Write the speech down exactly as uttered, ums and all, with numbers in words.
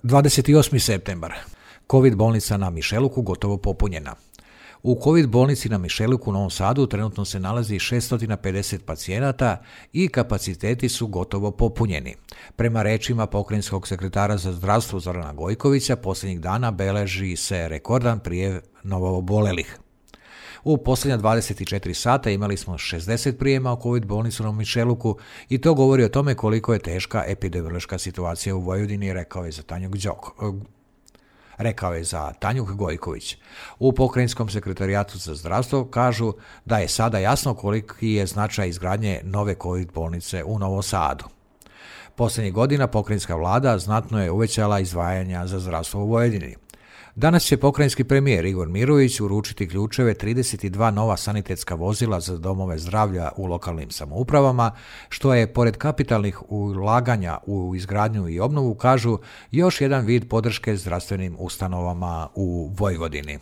dvadeset osmi septembar. Covid bolnica na Mišeluku gotovo popunjena. U Covid bolnici na Mišeluku u Novom Sadu trenutno se nalazi šesto pedeset pacijenata i kapaciteti su gotovo popunjeni. Prema rečima pokrajinskog sekretara za zdravstvo Zorana Gojkovića, posljednjih dana beleži se rekordan prijev novoobolelih. U posljednja dvadeset četiri sata imali smo šezdeset prijema u Covid bolnicu na Mišeluku i to govori o tome koliko je teška epidemiološka situacija u Vojvodini, rekao je za Tanjug Đok. Rekao je za Tanjug Gojković. U pokrajinskom sekretarijatu za zdravstvo kažu da je sada jasno koliki je značaj izgradnje nove Covid bolnice u Novom Sadu. Posljednjih godina pokrajinska vlada znatno je uvećala izdvajanja za zdravstvo u Vojvodini. Danas će pokrajinski premijer Igor Mirović uručiti ključeve trideset dva nova sanitetska vozila za domove zdravlja u lokalnim samoupravama, što je, pored kapitalnih ulaganja u izgradnju i obnovu, kažu, još jedan vid podrške zdravstvenim ustanovama u Vojvodini.